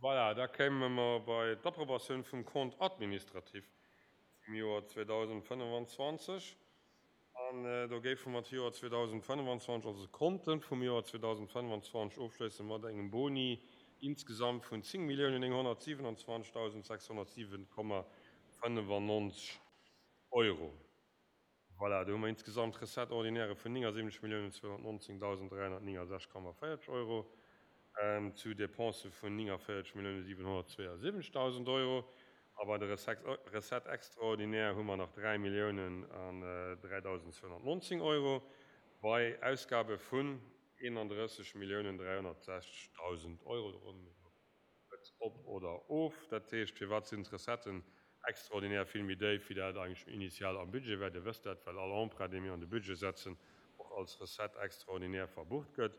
Voilà, da kéime mer bei d'Approbatioun vum Compte administratif vum Joer 2025. An do géife mer d'Joer 2025, also d'Konte vum Joer 2025 ofschléisse mat engem Boni insgesamt vun 10.927.607,95 Euro. Voilà, do hu mer insgesamt Recettes ordinaires vun 79.219.369,40 Euro zu Dépensë vun 49.772.000 Euro. A bei de Recettes extraordinaires hu mer nach 3 Milliounen an 3.219 Euro bei Ausgabe vun 31.360.000 Euro. Do ronne mir elo et op oder of. Dat heescht, firwat sinn d'Recetten extraordinaires vill méi déif, wéi dat eigentlech initial am Budget war? Dir wësst dat, well all Emprunt, dee mir an de Budget setzen, och als Recette extraordinaire verbucht gëtt.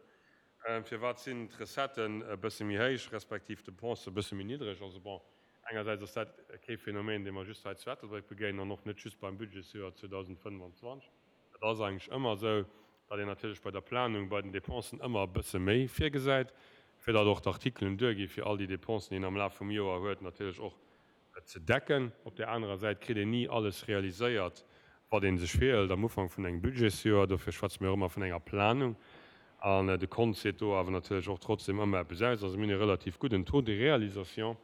Firwat sinn d'Recetten e bësse méi héich, respektiv d'Dépensen e bësse méi niddreg? Also bon, engersäits ass dat kee Phänomen, dee mer just hei zu Ettelbréck begéinen an och net just beim Budgetsjoer 2025. Et ass eigentlech ëmmer esou, datt een natierlech bei der Planung bei den Dépensen ëmmer e bësse méi virgesäit, fir datt och d'Artikelen duergi fir all déi Dépensen, déi een am Laf vum Joer huet, natierlech och ze decken. Op där anerer Säit kritt een ni alles realiséiert, wat ee sech virhëlt am Ufank vun engem Budgetsjoer. Dofir schwätze mir och ëmmer vun enger Planung. An de Kont seet do awer natierlech och trotzdem ëmmer eppes aus. Also mir hunn e relativ gudden Taux de réalisation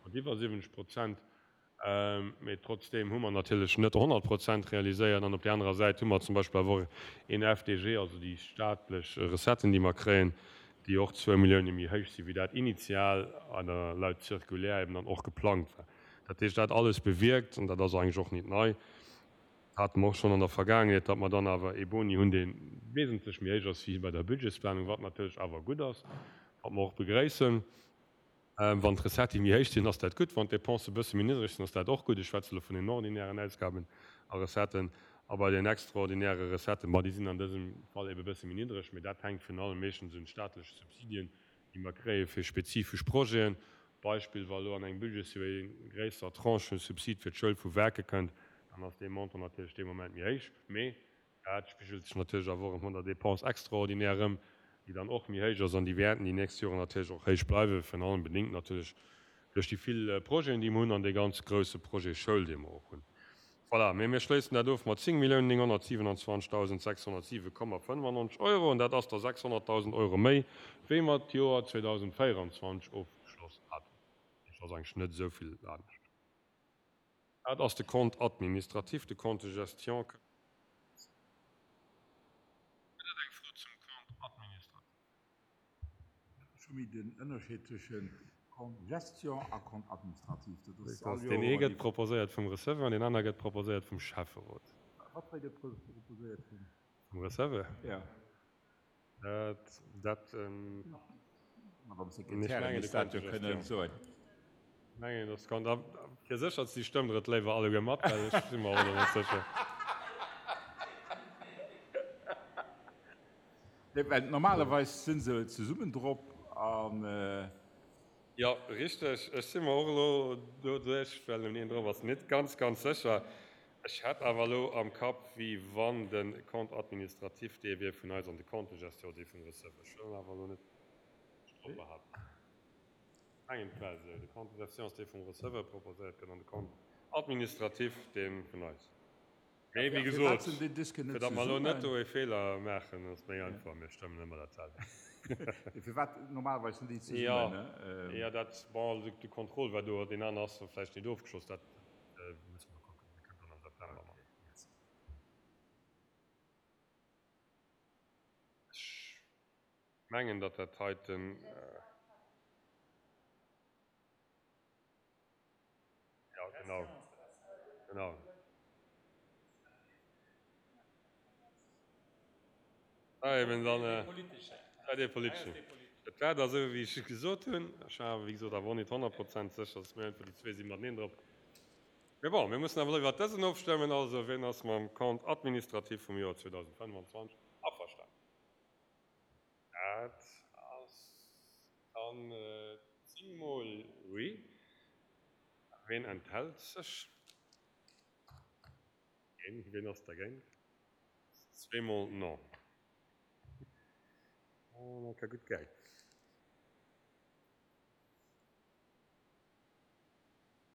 mat iwwer 70 Prozent. Mee trotzdeem hu mer natierlech net 100 Prozent realiséiert. An op där anerer Säit hu mer zum Beispill awer och een FDG, also déi staatlech Recetten, déi mer kréien, déi och zwou Millioune méi héich sinn, wéi dat initial oder laut Circulaire eben dann och geplangt war. Dat heescht, dat alles bewierkt, an dat ass eigentlech och nit nei, dat hate mer och schonn an der Vergaangenheet, datt mer dann awer ee Boni hunn, dee wesentlech méi héich ass wéi bei der Budgetsplanung, wat natierlech awer gutt ass, wat mer och begréissen. Wann d'Recettë méi héich sinn, ass dat gutt. Wann d'Dépensen e bësse méi niddreg sinn, ass dat och gutt. Ech schwätze elo vun den ordinären Ausgaben a Recetten. A bei den extraordinäre Recetten, ma déi sinn an dësem Fall ebe bësse méi niddreg, mee dat hänkt virun allem meeschtens un staatleche Subsidien, déi mer kréie fir spezifesch Projeten. Beispill, wa elo an engem Budgetsjoer eng gréisser Tranche vum Subsid fir d'Schoul vu Werke kënnt, dann ass dee Montant natierlech dee Moment méi héich. Mee Dat spigelt sech natierlech awer och erëm an der Dépense extraordinaire erëm, déi dann och méi héich ass an déi wäerten déi nächst Joren natierlech och héich bleiwen, virun allem bedéngt natierlech duerch déi vill Projeten, déi mer hunn an dee ganz grouse Projet Schoul, dee mer och hunn. Voilà, mee mir schléissen dat of mat 10.927.607,95 Euro an dat ass da 600.000 Euro méi, wéi mer d'Joer 2024 ofgeschloss haten. Dat heescht, ass eigentlech net esou vill anescht. Dat ass de Compte administratif, de Compte de gestion kënnt. Gëtt et eng Fro zum Compte administratif? Ech hu méi den Ënnerscheed tëschent Compte gestion a Compte administratif. Dat ass all Joer. Deen ee gëtt proposéiert vum Receveur an deen aner gëtt proposéiert vum Schäfferot. Wat gëtt proposéiert vum? Vum Receveur? Jo. Dat, dat. Madame Sekretärin misst dat jo kënnen soen. Mengen, dass kann da fir sécher ze si stëmmt der et léiwer alleguer mat, well ech si mer och elo net sécher. Nee, well normalerweis si se zesummen drop an. Jo, richteg. Ech si mer och elo doduerch, well en een drop ass, net ganz, ganz sécher. Ech hätt awer elo am Kapp, wéi wann de Compte administratif dee wier vun eis an de Compte de gestion dee vum Receveur. Ech wëll awer elo net drop behaapten. Ech mengen, et war esou, de Compte de gestion ass dee vum Receveur proposéiert gëtt an de Compte administratif dee vun eis. Mee wéi gesot, fir datt mer elo net do e Feeler maachen, ass méi einfach, mir stëmmen ëmmer dat selwecht. Firwat normalerweis sinn déi zesummen, ne? Jo, dat, bon, de Contrôle war do, deen anere ass vläicht net ofgeschloss, dat musse mer kucken. Dir kënnt dann am September mat. Ech mengen, datt dat heiten. Ja, genau. Genau. Ah, eben dann, äh, ah, dee politeschen. Et war da sou, wéi ech gesot hunn. Ech war awer, wéi gesot, awer och net 100 Prozent sécher, dass mir einfach déi zwee si mateneen drop. Mee bon, mir mussen awer elo iwwert dësen ofstëmmen. Also, wien ass mam Compte administratif vum Joer 2025 averstanen? Dat ass dann 10 mol oui. Ween enthält sech? Keen. Ween ass dergéint? Zweemol non. Dat ka gutt gei.